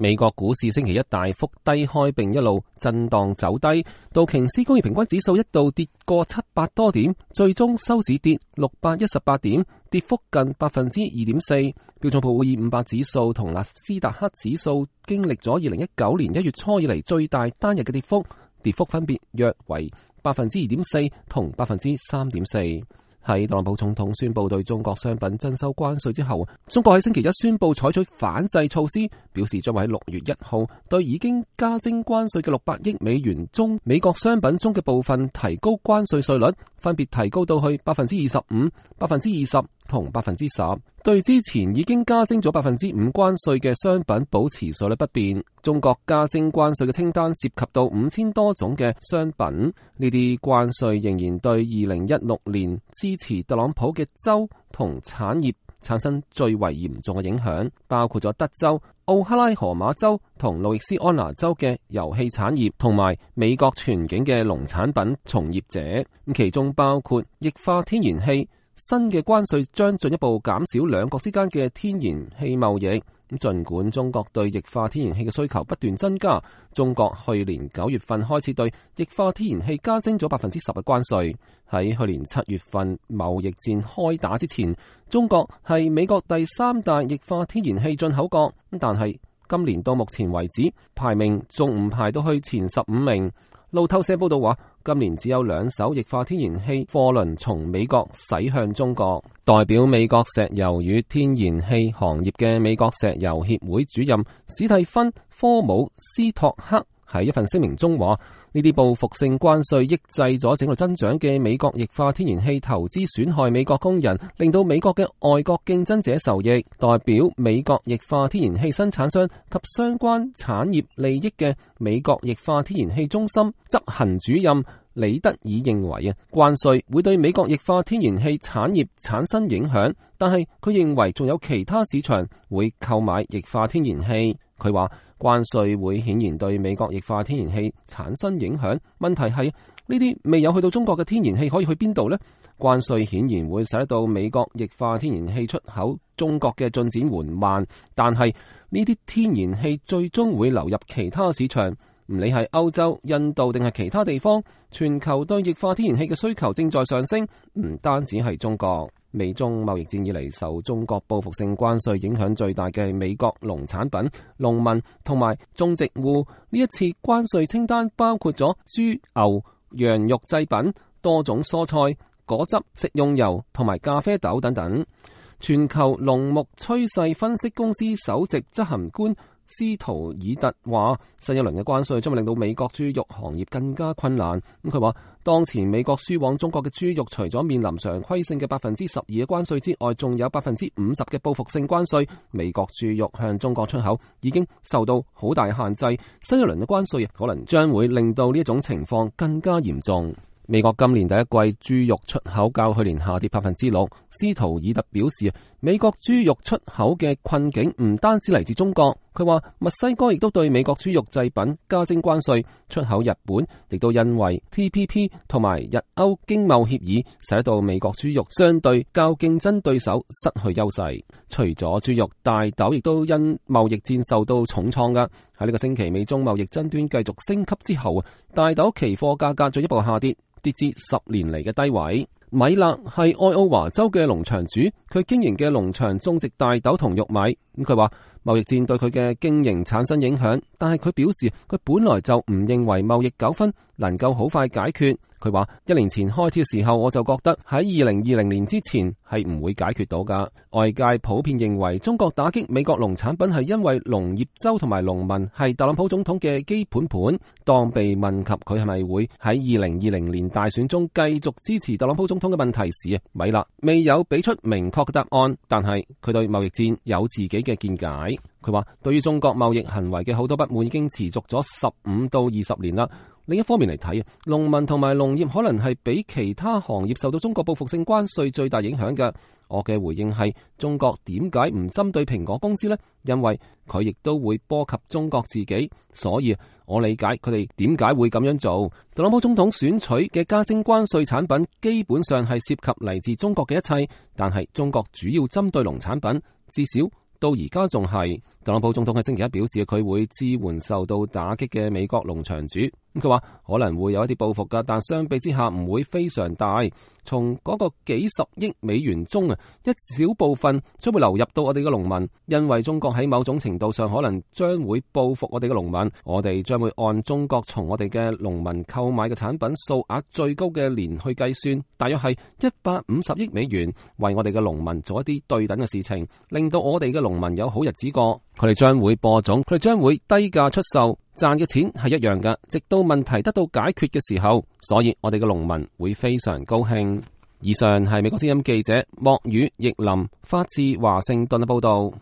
美國股市星期一大幅低開並一路震盪走低，道瓊斯工業平均指數一度跌過700多點，最終收市跌618點，跌幅近 2.4%。標準普爾500指數同納斯達克指數經歷咗2019年1月初以嚟最大單日嘅跌幅，跌幅分別約為 2.4% 同 3.4%。喺特朗普總統宣布對中國商品徵收關稅之後，中國喺星期一宣布採取反制措施，表示將會喺6月1號對已經加徵關稅嘅600億美元中美國商品中嘅部分提高關稅稅率，分別提高到去 25%、20% 同 10%， 對之前已經加徵咗 5% 關稅嘅商品保持稅率不變。中國加徵關稅嘅清單涉及到5000多種嘅商品，呢啲關稅仍然對2016年支持特朗普嘅州同產業產生最為嚴重嘅影響，包括咗德州、奧克拉荷馬州同路易斯安那州嘅遊戲產業，同埋美國全境嘅農產品從業者。咁其中包括液化天然氣。新嘅關稅將進一步減少兩國之間嘅天然氣貿易。盡管中國對液化天然氣嘅需求不斷增加，中國去年9月份開始對液化天然氣加徵咗 10% 嘅關稅。喺去年7月份貿易戰開打之前，中國係美國第3大液化天然氣進口國，但係今年到目前為止，排名仲唔排到去前15名。路透社報道話，今年只有2艘液化天然氣貨輪從美國駛向中國。代表美國石油與天然氣行業嘅美國石油協會主任史蒂芬·科姆斯托克喺一份聲明中話，呢啲報復性關稅抑制咗整個增長嘅美國液化天然氣投資，損害美國工人，令到美國嘅外國競爭者受益。代表美國液化天然氣生產商及相關產業利益嘅美國液化天然氣中心執行主任李德爾認為關稅會對美國液化天然氣產業產生影響，但係佢認為仲有其他市場會購買液化天然氣。佢話關稅會顯然對美國液化天然氣產生影響，問題係呢啲未有去到中國嘅天然氣可以去邊度呢？關稅顯然會使得到美國液化天然氣出口中國嘅進展緩慢，但係呢啲天然氣最終會流入其他市場，唔理係歐洲、印度定係其他地方，全球對液化天然氣嘅需求正在上升，唔單止係中國。美中貿易戰以嚟，受中國報復性關稅影響最大嘅係美國農產品、農民同埋種植戶。呢一次關稅清單包括咗豬、牛、羊肉製品、多種蔬菜、果汁、食用油同埋咖啡豆等等。全球農牧趨勢分析公司首席執行官斯圖爾特話，新一輪嘅關稅將會令到美國豬肉行業更加困難。佢話，當前美國輸往中國嘅豬肉除咗面臨常規性嘅 12% 嘅關稅之外，仲有 50% 嘅報復性關稅。美國豬肉向中國出口已經受到好大限制，新一輪嘅關稅可能將會令到呢一種情況更加嚴重。美國今年第一季豬肉出口較去年下跌 6%。斯圖爾特表示，美國豬肉出口嘅困境唔單止嚟自中國。佢話墨西哥亦都對美國豬肉製品加徵關稅，出口日本亦都因為 TPP 同埋日歐經貿協議，使得到美國豬肉相對較競爭對手失去優勢。除咗豬肉，大豆亦都因貿易戰受到重創㗎。喺呢個星期美中貿易爭端繼續升級之後，大豆期貨價格進一步下跌，跌至10年嚟嘅低位。米勒係愛奧華州嘅農場主，佢經營嘅農場種植大豆同玉米。佢話貿易戰對佢嘅經營產生影響，但係佢表示佢本來就唔認為貿易糾紛能夠好快解決。佢話1年前開始嘅時候，我就覺得喺2020年之前係唔會解決到㗎。外界普遍認為中國打擊美國農產品係因為農業州同埋農民係特朗普總統嘅基本盤。當被問及佢係咪會喺2020年大選中繼續支持特朗普總統嘅問題時，米勒未有俾出明確嘅答案，但係佢對貿易戰有自己嘅見解。佢話對於中國貿易行為嘅好多不滿已經持續咗15到20年啦。另一方面嚟睇，農民同埋農業可能係比其他行業受到中國報復性關稅最大影響嘅。我嘅回應係，中國點解唔針對蘋果公司呢？因為佢亦都會波及中國自己，所以我理解佢哋點解會咁樣做。特朗普總統選取嘅加徵關稅產品基本上係涉及嚟自中國嘅一切，但係中國主要針對農產品，至少到而家仲係。特朗普總統喺星期一表示，佢會支援受到打擊嘅美國農場主。佢話可能會有一啲報復噶，但相比之下唔會非常大。從嗰個幾十億美元中啊，一小部分將會流入到我哋嘅農民，因為中國喺某種程度上可能將會報復我哋嘅農民。我哋將會按中國從我哋嘅農民購買嘅產品數額最高嘅年去計算，大約係150億美元，為我哋嘅農民做一啲對等嘅事情，令到我哋嘅農民有好日子過。佢哋將會播種，佢哋將會低價出售，賺嘅錢係一樣㗎，直到問題得到解決嘅時候，所以我哋嘅農民會非常高興。以上係美國之音記者莫宇、奕林發自華盛頓嘅報道。